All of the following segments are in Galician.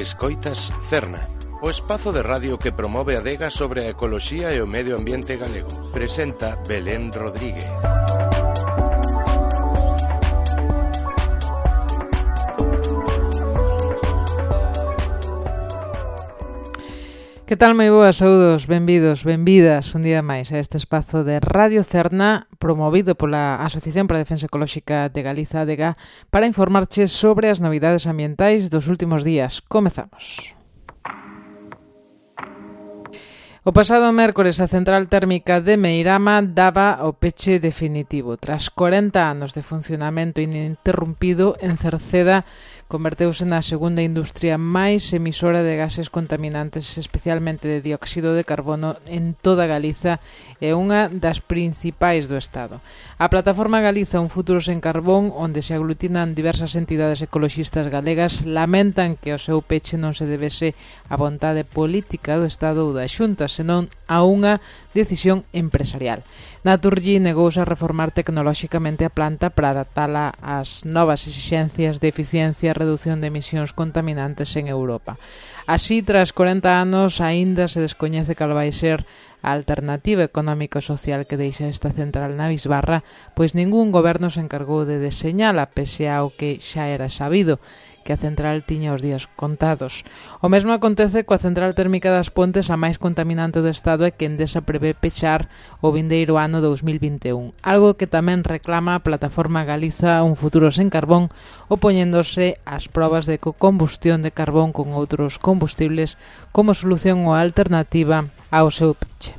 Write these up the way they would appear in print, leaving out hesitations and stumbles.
Escoitas Cerna, o espazo de radio que promove a adega sobre a ecoloxía e o medio ambiente galego. Presenta Belén Rodríguez. Que tal, moi boas, saúdos, benvidos, benvidas un día máis a este espazo de Radio Cerna promovido pola Asociación para a Defensa Ecolóxica de Galiza, ADEGA, para informarches sobre as novidades ambientais dos últimos días. Comezamos. O pasado mércores a central térmica de Meirama daba o peche definitivo. Tras 40 anos de funcionamento ininterrumpido, en Cerceda converteuse na segunda industria máis emisora de gases contaminantes, especialmente de dióxido de carbono, en toda Galiza e unha das principais do Estado. A plataforma Galiza Un Futuro Sen Carbón, onde se aglutinan diversas entidades ecoloxistas galegas, lamentan que o seu peche non se debese á vontade política do Estado ou da Xunta, senón a unha decisión empresarial. Naturgy negouse a reformar tecnolóxicamente a planta para adaptala ás novas exixencias de eficiencia e reducción de emisións contaminantes en Europa. Así, tras 40 anos, aínda se descoñece cal vai ser a alternativa económica e social que deixa esta central na bisbarra, pois ningún goberno se encargou de deseñala, pese ao que xa era sabido, que a central tiña os días contados. O mesmo acontece coa central térmica das Pontes, a máis contaminante do Estado, e que Endesa prevé pechar o vindeiro ano 2021, algo que tamén reclama a plataforma Galiza Un Futuro Sen Carbón, opoñéndose ás probas de combustión de carbón con outros combustibles como solución ou alternativa ao seu peche.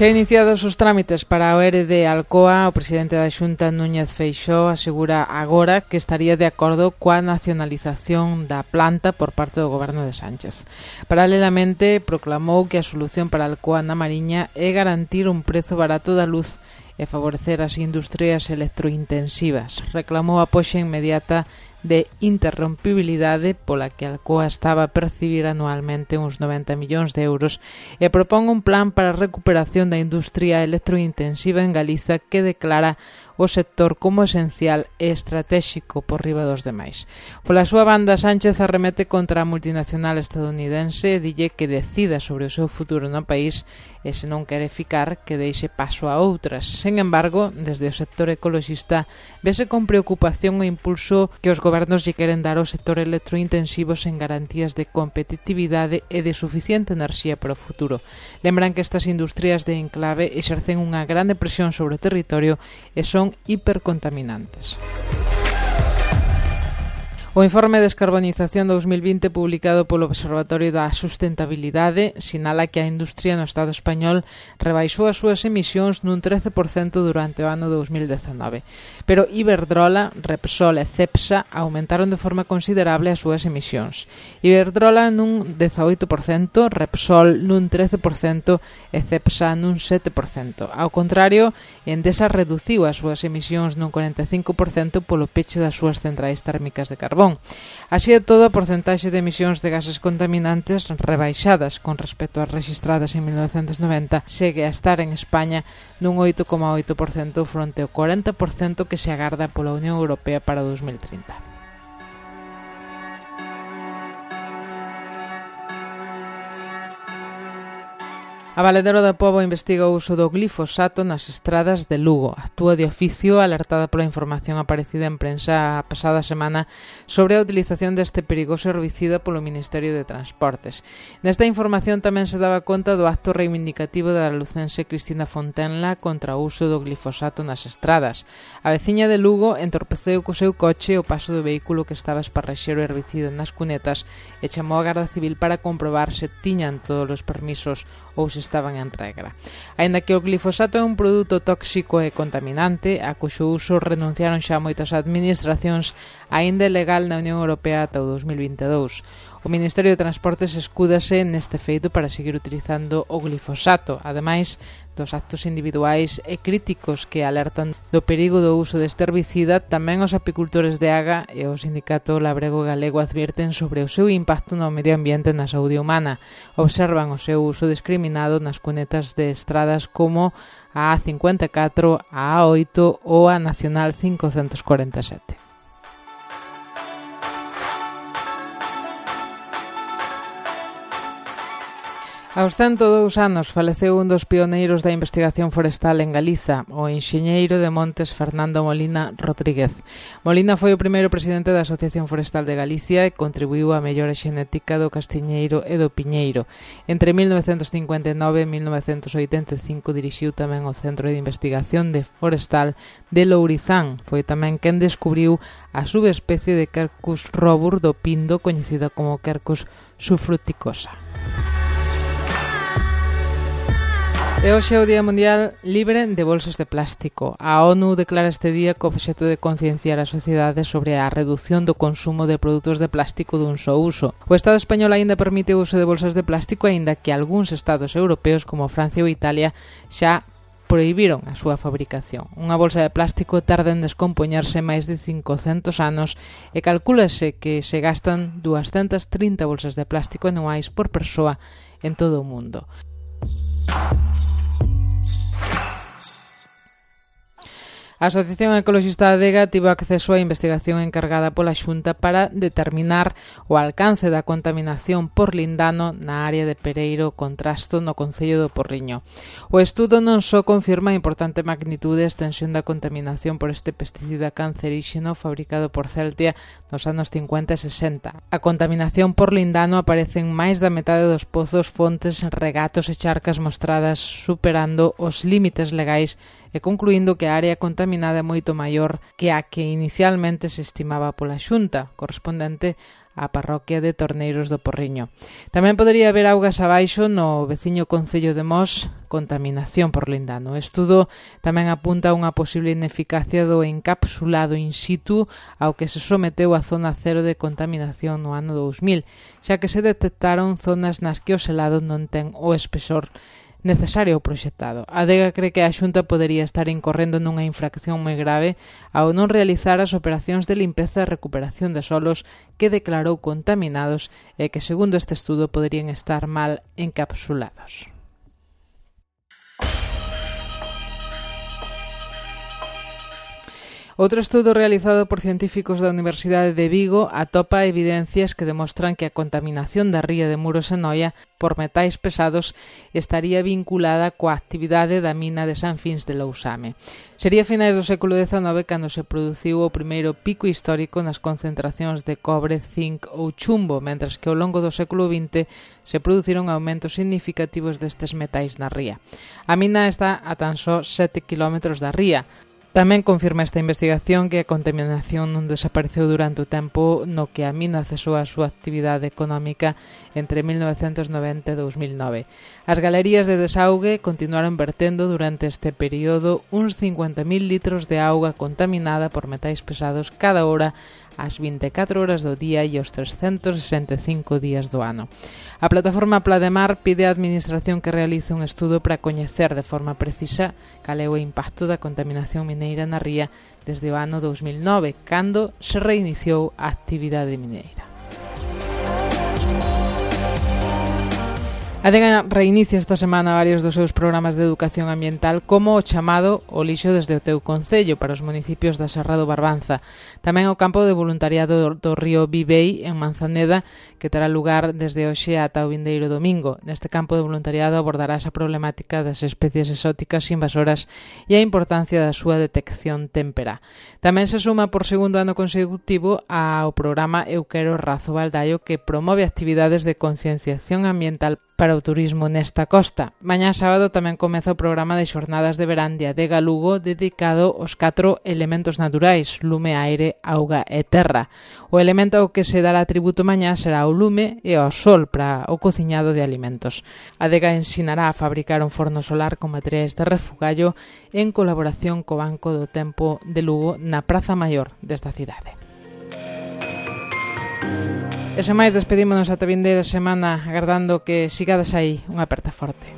Xa iniciados os trámites para o ERE de Alcoa, o presidente da Xunta, Núñez Feixóo, asegura agora que estaría de acordo coa nacionalización da planta por parte do goberno de Sánchez. Paralelamente, proclamou que a solución para Alcoa na Mariña é garantir un prezo barato da luz e favorecer as industrias electrointensivas. Reclamou a poxa inmediata de interrompibilidade pola que Alcoa estaba a percibir anualmente uns 90 millóns de euros e propón un plan para a recuperación da industria electrointensiva en Galiza que declara o sector como esencial e estratéxico por riba dos demais. Pola súa banda, Sánchez arremete contra a multinacional estadounidense e dille que decida sobre o seu futuro no país e, se non quere ficar, que deixe paso a outras. Sen embargo, desde o sector ecoloxista vese con preocupación o impulso que os gobernos lle queren dar ao sector electrointensivo sen garantías de competitividade e de suficiente enerxía para o futuro. Lembran que estas industrias de enclave exercen unha grande presión sobre o territorio e son hipercontaminantes. O informe de descarbonización 2020 publicado polo Observatorio da Sustentabilidade sinala que a industria no Estado español rebaixou as súas emisións nun 13% durante o ano 2019. Pero Iberdrola, Repsol e Cepsa aumentaron de forma considerable as súas emisións. Iberdrola nun 18%, Repsol nun 13% e Cepsa nun 7%. Ao contrario, Endesa reduciu as súas emisións nun 45% polo peche das súas centrais térmicas de carbón. Así e todo, a porcentaxe de emisións de gases contaminantes rebaixadas con respecto ás rexistradas en 1990 segue a estar en España nun 8,8% fronte ao 40% que se agarda pola Unión Europea para 2030. A Valedero da Pobo investiga o uso do glifosato nas estradas de Lugo. Actúa de oficio alertada pola información aparecida en prensa a pasada semana sobre a utilización deste perigoso herbicida polo Ministerio de Transportes. Nesta información tamén se daba conta do acto reivindicativo da lucense Cristina Fontenla contra o uso do glifosato nas estradas. A veciña de Lugo entorpeceu co seu coche o paso do vehículo que estaba a esparrexer o herbicida nas cunetas e chamou a Garda Civil para comprobar se tiñan todos os permisos ou se estaban en regra. Aínda que o glifosato é un produto tóxico e contaminante, a cuxo uso renunciaron xa moitas administracións, aínda é legal na Unión Europea ata o 2022. O Ministerio de Transportes escúdase neste feito para seguir utilizando o glifosato, ademais dos actos individuais e críticos que alertan do perigo do uso deste herbicida. Tamén os apicultores de Aga e o Sindicato Labrego Galego advirten sobre o seu impacto no medio ambiente e na saúde humana. Observan o seu uso discriminado nas cunetas de estradas como a A54, a A8 ou a Nacional 547. Aos 102 anos faleceu un dos pioneiros da investigación forestal en Galiza, o enxeñeiro de montes Fernando Molina Rodríguez. Molina foi o primeiro presidente da Asociación Forestal de Galicia e contribuiu á mellora xenética do castiñeiro e do piñeiro. Entre 1959 e 1985 dirixiu tamén o Centro de Investigación de Forestal de Lourizán. Foi tamén quen descubriu a subespecie de Quercus robur do pindo, coñecida como Quercus subfruticosa. E hoxe é o Día Mundial Libre de Bolsas de Plástico. A ONU declara este día co obxecto de concienciar a sociedade sobre a reducción do consumo de produtos de plástico dun só uso. O Estado español aínda permite o uso de bolsas de plástico, aínda que algúns estados europeos, como Francia ou Italia, xa prohibiron a súa fabricación. Unha bolsa de plástico tarda en descompoñerse máis de 500 anos e calcúlase que se gastan 230 bolsas de plástico anuais por persoa en todo o mundo. A Asociación Ecologista Adega tivo acceso á investigación encargada pola Xunta para determinar o alcance da contaminación por lindano na área de Pereiro Contrasto no concello do Porriño. O estudo non só confirma a importante magnitude e extensión da contaminación por este pesticida canceríxeno fabricado por Celtia nos anos 50 e 60. A contaminación por lindano aparece en máis da metade dos pozos, fontes, regatos e charcas mostradas, superando os límites legais e concluindo que a área contaminada é moito maior que a que inicialmente se estimaba pola Xunta, correspondente á parroquia de Torneiros do Porriño. Tamén podería haber augas abaixo no veciño concello de Mos, contaminación por lindano. O estudo tamén apunta a unha posible ineficacia do encapsulado in situ ao que se someteu a zona cero de contaminación no ano 2000, xa que se detectaron zonas nas que o selado non ten o espesor necesario ao proxectado. A Adega cree que a Xunta podería estar incorrendo nunha infracción moi grave ao non realizar as operacións de limpeza e recuperación de solos que declarou contaminados e que, segundo este estudo, poderían estar mal encapsulados. Outro estudo realizado por científicos da Universidade de Vigo atopa evidencias que demostran que a contaminación da ría de Muros e Noia por metais pesados estaría vinculada coa actividade da mina de San Fins de Lousame. Sería a finais do século XIX cando se produciu o primeiro pico histórico nas concentracións de cobre, zinc ou chumbo, mentras que ao longo do século XX se produciron aumentos significativos destes metais na ría. A mina está a tan só 7 km da ría. Tamén confirma esta investigación que a contaminación non desapareceu durante o tempo no que a mina cesou a súa actividade económica entre 1990 e 2009. As galerías de desaugue continuaron vertendo durante este período uns 50.000 litros de auga contaminada por metais pesados cada hora ás 24 horas do día e aos 365 días do ano. A plataforma Plademar pide á Administración que realice un estudo para coñecer de forma precisa cal é o impacto da contaminación mineira na ría desde o ano 2009, cando se reiniciou a actividade mineira. A Adega reinicia esta semana varios dos seus programas de educación ambiental, como o chamado O lixo desde o teu concello para os municipios da Serra do Barbanza. Tamén o campo de voluntariado do río Vivei en Manzaneda, que terá lugar desde hoxe ata o vindeiro domingo. Neste campo de voluntariado abordará esa problemática das especies exóticas invasoras e a importancia da súa detección témpera. Tamén se suma por segundo ano consecutivo ao programa Eu Quero Razo Baldaio, que promove actividades de concienciación ambiental para o turismo nesta costa. Mañá sábado tamén comeza o programa de xornadas de verán de Adega Lugo dedicado aos 4 elementos naturais: lume, aire, auga e terra. O elemento ao que se dará tributo mañá será o lume e ao sol para o cociñado de alimentos. A Adega ensinará a fabricar un forno solar con materiais de refugallo en colaboración co Banco do Tempo de Lugo na Praza Maior desta cidade. E sen máis, despedímonos ata vindeira semana agardando que sigades aí. Unha aperta forte.